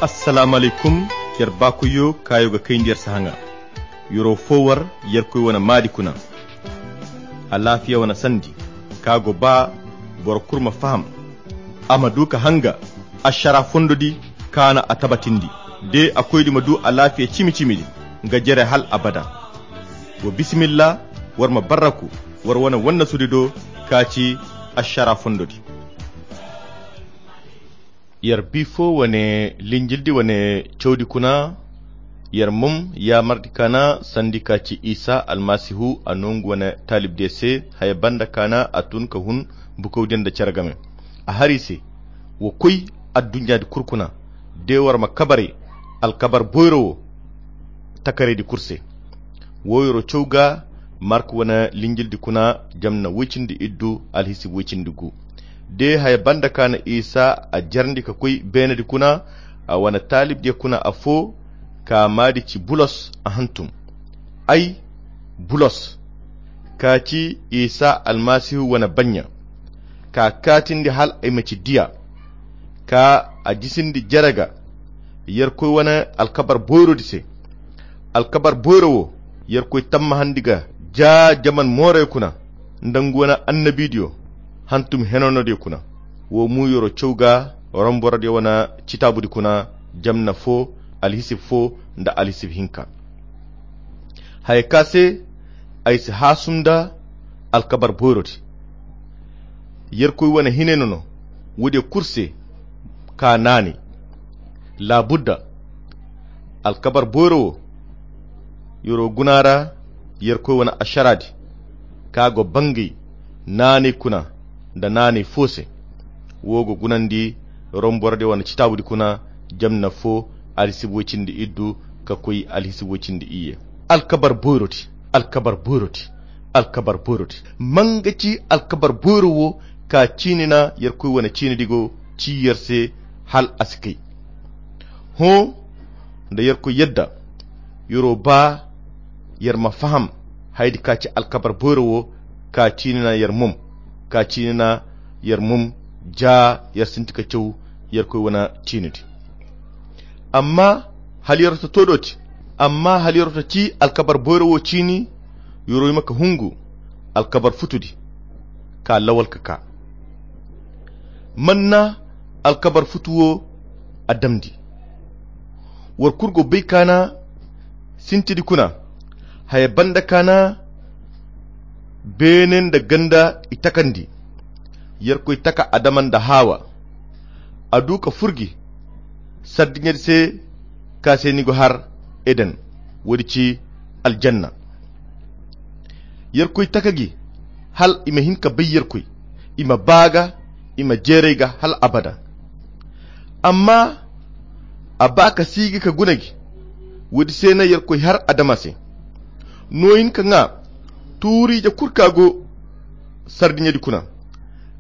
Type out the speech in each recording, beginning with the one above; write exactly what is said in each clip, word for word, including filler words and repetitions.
Assalaamu alaykum. Yer baakoyyo kaayo ga kayndi yer sahaŋa. Yer'o fo war yerkoy wane maadi kuna. Alaafiya wane sandi ka go ba boro kulu ma faham, a ma du ka hanga ašara fondo di kaana a tabatindi, de a koydi ma du alaafiya cimi-cimi di nga jere hal abada. Wa bisimilla, war ma barraku war wane wannasudi do ka ci ašara fondo di. Yer bi fo wane linjildi wane cawdi kuna. Yer mum yaamardi kaana sandi ka ci isa almasihu a no nga wane taalibdiyo se haya banda kaana a tun ka hun bukawdiyo nda cere game. A har i se, wa koy adduɲɲaadi kulu kuna de war ma kabaray alkabar boyro wo takaraydi kulu se. Wo yer'o caw ga mark wane linjildi kuna, jamna woy-cindi-iddu alhisib woy-cindi-gu. De haya banda kaana isa a jarndi ka koy beenedi kuna, a wane taalibdiyo kuna afo ka maadi ci bulos a hantum. Ay, bulos, ka ci isa almasihu wane banɲa, ka kaatindi hal ay ma ci diya, ka a jisindi jere ga yerkoy wane alkabar boyrodi se. Alkabar boyro wo yerkoy tammahandi ga ja jaman mooray kuna nda nga wane annabidiyo hantum henanodiyo kuna. Wo mo yer'o caw ga romborodiyo wane citaabudi kuna, jamna fo, alhisib fo nda alhisib hinka. Haya ka se ay si haasum nda alkabar boyrodi. Yerkoy wane hinay no no woodiyo kulu se ka naanay. Laabudda alkabar boyro wo yer'o guna ra yerkoy wane ašaraadi ka go bangay naanay kuna nda naanay fo se. Wo go gunandi romborodiyo wane citaabudi kuna, jamna fo, alhisib woy-cindi-iddu ka koy alhisib woy-cindi-iyye. Alkabar boyrodi, alkabar boyrodi, alkabar boyrodi. Manga ci alkabar boyro wo ka ciini na yerkoy wane ciinidi go ci yer se hal a si kay. Hõ, nda yerkoy yadda yer'o ba yer ma faham hayadi ka ci alkabar boyro wo ka ciini na yer mum, ka ciini na yer mum ja yer sinti ka caw yerkoy wane ciinidi. Amma hala yer'o ta to dooti, amma hala yer'o ta ci alkabar boyro wo ciini, yer'o hima ka hungu alkabar futudi ka lawal ka ka. Man na alkabar futu wo a damndi? War kulu go bay kaana sintidi kuna, haya banda kaana beene nda ganda i takandi. Yerkoy taka adama nda haawa, a du ka furgi sardiɲedi se ka se ni go har eden, woodi ci aljanna. Yerkoy taka gi hal i ma hin ka bay yerkoy, i ma ba ga, i ma jeeray ga hal abada. Amma a ba ka siigi ka guna gi. Woodi se na yerkoy har adama se no hin ka ŋwa tuuriije kulu ka go sardiɲedi kuna.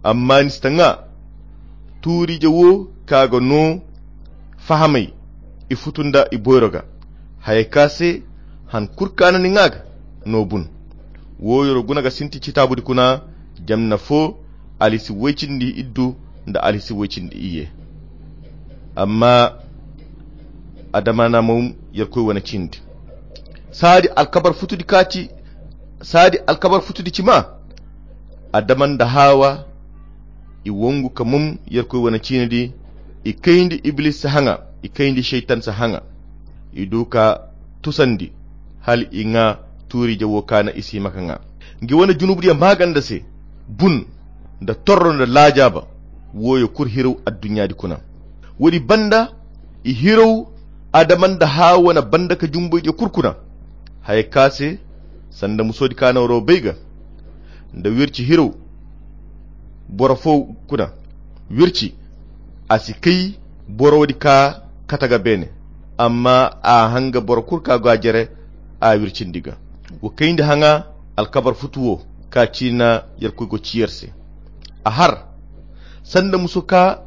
Amma ni si ta ŋwa tuuriije wo ka ga no fahamay i futu nda i boyro ga. Hayey ka se han kulu ka na ni ŋwa ga no bun. Wo yer'o guna ga sinti citaabudi kuna, jamna fo, alhisib woy-cindi-iddu nda alhisib woy-cindi-iyye. Amma adama na mum yerkoy wane cindi. Saadi alkabar futudi ka ci, saadi alkabar futudi ci ma adama nda haawa i wangu ka mum yerkoy wane ciinidi. I kayndi iblisi haŋa, i kayndi seytan se haŋa. I du ka tusandi hal i ŋwa tuuriije wo ka na i si hima ka ŋwa. Ngi wane junubudiyo maaganda se bun nda torro nda laajaaba. Wooyo kulu hiraw adduɲɲaadi kuna. Woodi banda i hiraw adama nda haawa wane banda ka jumboydiyo kulu kuna. Hayey ka se sanda musoodi ka na waro bay ga nda wirci hiraw boro fo kuna. Wirci a si kay boro woodi ka kate ga beene. Amma a hanga boro kulu ka go a jere a wircindi ga. Wa kayndi haŋa alkabar futu wo ka ciina yerkoy go ci yer se. A har sanda muso ka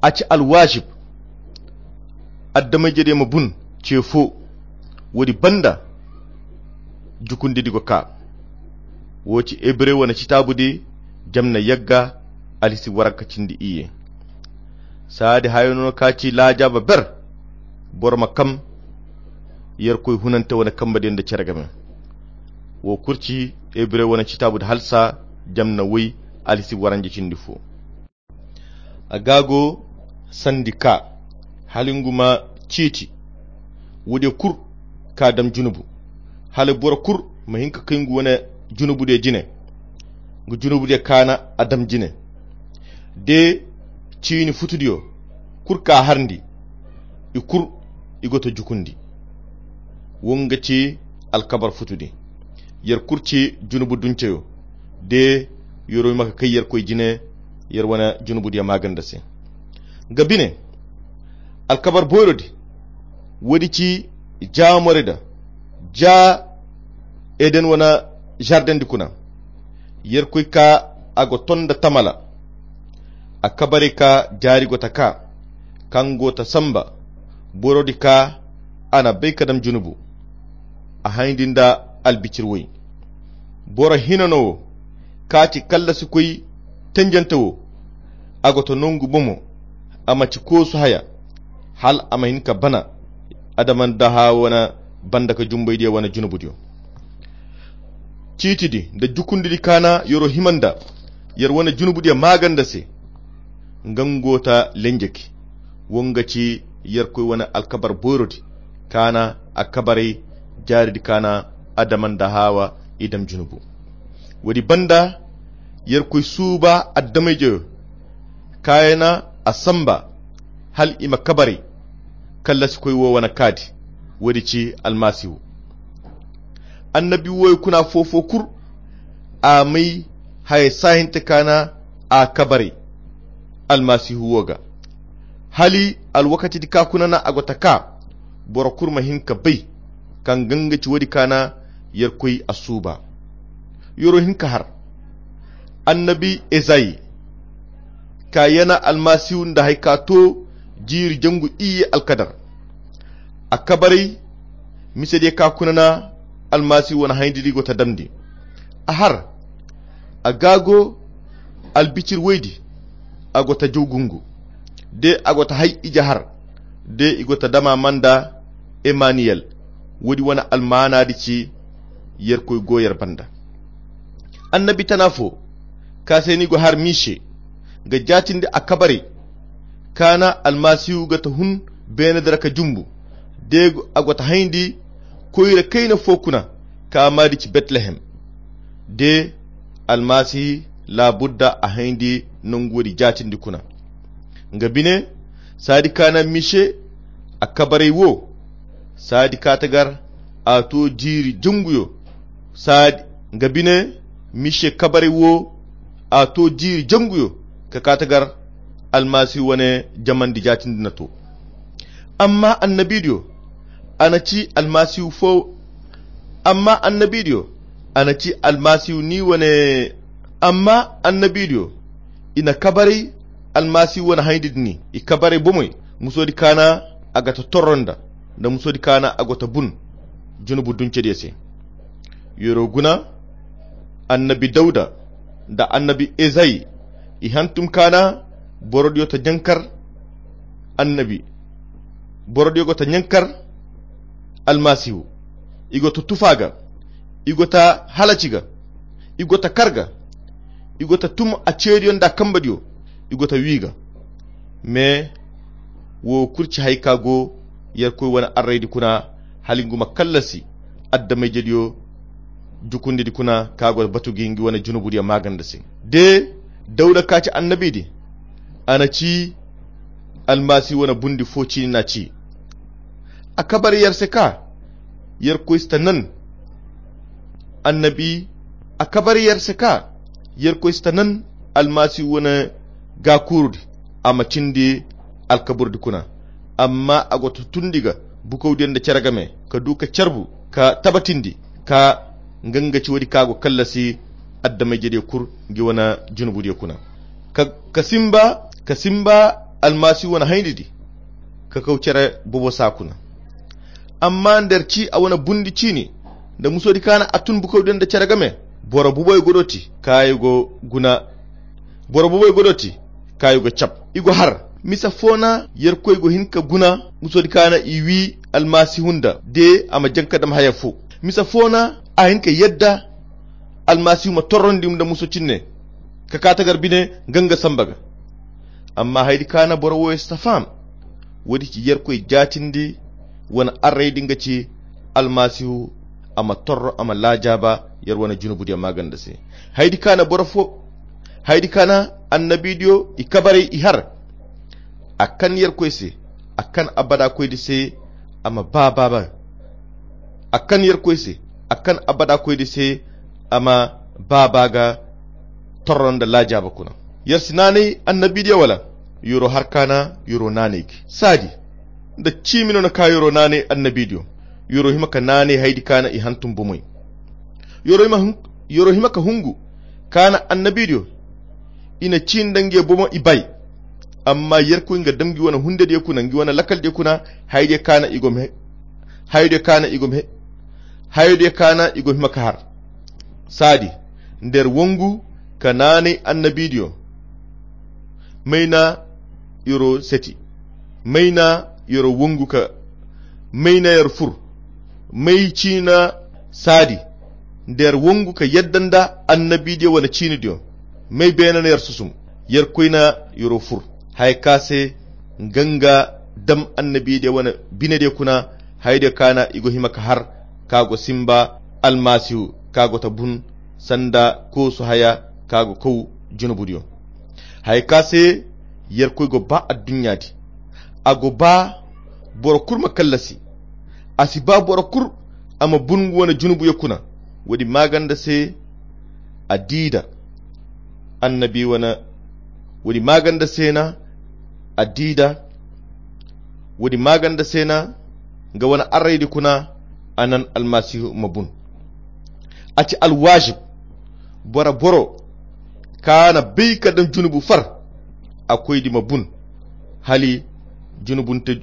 a ci alwaazib adama-ijediyo ma bun ce fo. Woodi banda jukundidi go ka. Wo ci hebre wane citaabudi jamna yagga alhisib waranka cindi iyye. Saadi hayo no ka ci laajaaba ber. Boro ma kam yerkoy hunante wane kambadiyo nda cere game. Wo kurci ebre wane citabu da halsa jamna woy alhisi waranje cindi fo. A gaago sandi ka hala ngu ma ciiti. Woodiyo kulu ka dam junubu hala boro kulu ma hin ka kay ngu wane junubudiyo jine. Ngu junubudiyo kaana a dam jine de ciini futudiyo kulu ka harndi. I kulu i go to jukundi. Wo nga ci alkabar futudi. Yer kulu ci junubu dunceyo de. Yero maka kay yer koy jine yer wane junubudiyo maaganda se. Nga bine alkabar boyrodi woodi ci jaamorida ja eden wane jardendi kuna. Yer koy ka a go tonda tamala a kabarey ka jaari go ta ka kaŋ go ta samba. Borodi ka a na bay ka dam junubu a hayndi nda albicir woy. Boro hina no wo kaati kallasi koy tenjante wo. A go to nongu bomo a ma ci koosu haya hal a ma hin ka bana. Adama nda haawa wane banda ka jumbaydiyo wane junubudiyo ciitidi nda jukundidi kaana yero hima nda yer wane junubudiyo maaganda se. Nga ngo ta lenjeki wo nga ci yerkoy wane alkabar boyrodi kaana a kabaray jaaridi kaana adama nda haawa i dam junubu. Woodi banda yerkoy suuba addamayjeyo kaayana a samba hal i ma kabaray. Kallasikoy wo wane kaadi woodi ci almasihu. Annabi woyo kuna foofo kulu a may haya saahinte kaana a kabaray almasihu wo ga. Hali alwakatidi ka kuna na a go ta ka boro kulu ma hin ka bay kaŋ ganga ci woodi kaana yerkoy a suuba. Yero hin ka har annabi ezayi ka yana almasihu nda hay ka to jiiri jangu iyye alkadar. A kabaray misediyo ka kuna na almasihu wane hayndi di go ta damndi. A har a gaago albicir woydi a go ta jaw gungu de a go ta hay ije har de i go ta dama manda emaniyel. Woodi wane almaanaadi ci yerkoy go yer banda. Annabi tana fo ka se ni go har mise ga jaatindi a kabaray kaana almasihu ga ta hun beene dara ka jumbu de a go ta hayndi koyra kayna fo kuna ka maadi ci betlehem de almasihi laabudda a hayndi nangu woodi jaatindi kuna. Nga bine saadi kaana mise a kabaray wo saadi kaatagar a to jiiri janguyo. Saadi nga bine mise kabaray wo a to jiiri janguyo ka kaatagar almasihu wane jamandi jaatindi na to. Amma annabidiyo a na ci almasihu fo amma annabidiyo a na ci almasihu ni wane amma annabidiyo i na kabaray almasihu wane hayndi din i kabaray bomey musodi kaana a ga ta torro nda nda musodi kaana a go ta bun junubu duncediyo se. Yero guna annabi dawda nda annabi ezayi i hantum kaana borodiyo ta ɲankar annabi borodiyo go ta ɲankar almasihu i go ta tufa ga i go ta halaci ga i go ta kar ga i go ta tum a ceeriyo nda kambadiyo i go ta wi ga. Me wo kurci hay ka go yerkoy wane arraydi kuna hala ngu ma kallasi addamayjediyo jukundidi kuna ka go batu gi ngi wane junubudiyo maaganda se de dawda ka ci annabidi a na ci almasihu wane bundi fo ciini na ci a kabar yer se ka yerkoy si ta nan annabi a kabar yer se ka yerkoy si ta nan almasihu wane gaakuurudi a ma cindi alkaburdi kuna. Amma a go ta tundi ga bukawdiyo nda cere game ka du ka carbu ka tabatindi ka nga nga ci woodi ka go kallasi addamayjediyo kul ngi wane junubudiyo kuna ka simba ka simba almasihu wane haynidi ka kaw cere bobo saa kuna. Amma nda yer ci a wane bundi ciini nda musodi kaana a tun bukawdiyo nda cere game boro buboy godoti kaayo go guna boro buboy godoti kaayo go cab i go har Misa fo na yerkoy go hin ka guna, muso di kaana i wi almasihu nda de a ma janka dam haya fo. Misa fo na a hin ka yadda almasihu ma torrondi nda muso cinne ka kaata gar bine ganga samba ga. Amma haydi kaana boro wo si ta faham. Wodi ci yerkoy jaatindi wane array din ga ci almasihu a ma torro a ma laajaaba yer wane junubudiyo maaganda se. Haydi kaana boro fo haydi kaana annabidiyo i kabaray i har a kan yerkoy se a kan abada koydi se a ma ba baaba a kan yerkoy se a kan abada koydi se a ma ba baa ga torro nda laajaaba kuna. Yer si naanay annabidiyo wala yoro har kaana yoro naanay gi saadi nda ciimi no na ka yoro naanay annabidiyo. Yoro hima ka naanay haydi kaana i hantum bomey. Yoro hima ka hungu kaana annabidiyo i na ciini nda nge bomo i bay. Amma yerkoy nga dam ngi wane hundediyo kuna ngi wane lakaldiyo kuna haydiyo kaana i go ma he hayodiyo kaana i go ma he hayodiyo kaana i go hima ka har saadi nda yer wongu ka naanay annabidiyo. May na yoro seti may na yoro wongu ka may na yer fur may ciina saadi nda yer wongu ka yadda nda annabidiyo wane ciinidiyo. May beene na yer susum yerkoy na yoro fur haya ka se nga nga dam annabidiyo wane binediyo kuna hayodiyo kaana i go hima ka har ka go simba almasihu ka go ta bun sanda koosu haya ka go kaw junubudiyo. Haya ka se yerkoy go ba adduɲɲa di a go ba boro kul ma kallasi. A si ba boro kul a ma bun nga wane junubuyo kuna. Wodi maaganda se a diida annabi wane wodi maaganda se na a diida wodi maaganda se na nga wane arraydi kuna a nan almasihu ma bun. A ci alwaajib boro boro kaŋ a na bay ka daŋ junubu far a koydi ma bun hali junubu nte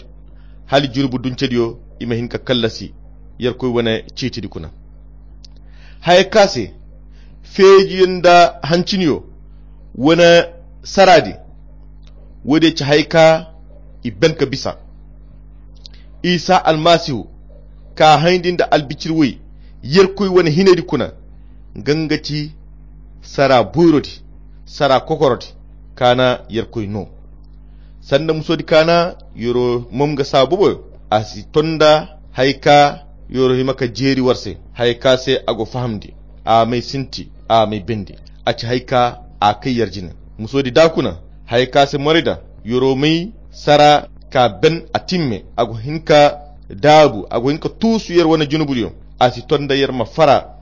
hali junubu duncediyo i ma hin ka kallasi yerkoy wane ciitidi kuna. Haya ka se feejiyo nda hanciniyo wane saraadi woodiyo ci haya ka i ben ka bisa isa almasihu ka hayndi nda albicir woy yerkoy wane hinaydi kuna. Nga nga ci sara boyrodi sara kokorodi kaana yerkoy no sanda musodi kaana yoro mom nga saabu boyo a si tonda haya ka yoro hima ka jeeri war se haya ka se a go fahamndi a may sinti a may bendi. A ci haya ka a kay yer jine musodi da kuna haya ka se morayda yoro may sara ka ben a timme a go hin ka daabu a go hin ka tuusu yer wane junubudiyo. A si tonda yer ma fara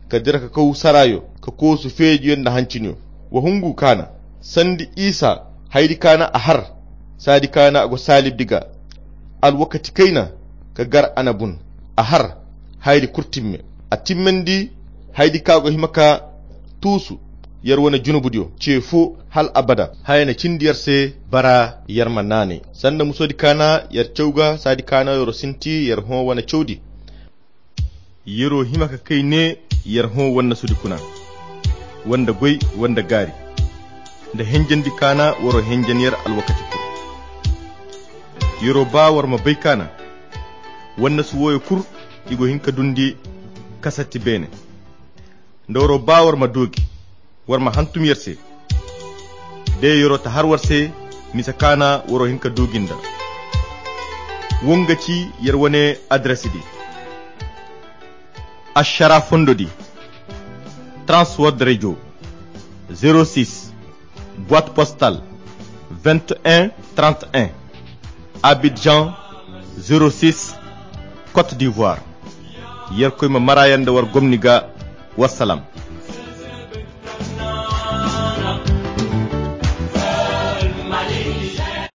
ka dira ka kaw sarayo ka koosu feejiyo nda hanciniyo. Wa hungu kaana sandi isa haydi kaana a har saadi kaana a go saalibdi ga alwakati kayna ka gar a na bun a har haydi kul timme a timmandi haydi ka go hima ka tuusu yer wane junubudiyo ce fo hal abada haya na cindi yer se bara yer ma naanay sanda musodi kaana yer caw ga saadi kaana yoro sinti yer hõ wane cawdi. Yero hima ka kay ne yer hõ wannasudi kuna wanda goy wanda gaari nda henjandi kaana waro henjan yer alwakati kul. Yero ba war ma bay kaana wannasu woyo kul i go hin ka dundi kasatti beene nda waro ba war ma doogi war ma hantum yer se de yero ta har war se misa kaana waro hin ka doogi nda. Wo nga ci yer wane adres di. Ashara fondo di transworld radio zéro six boîte postale vingt et un trente et un, Abidjan zéro six, Côte d'Ivoire. Yerkoy ma marayanda war gomni ga. Wassalam.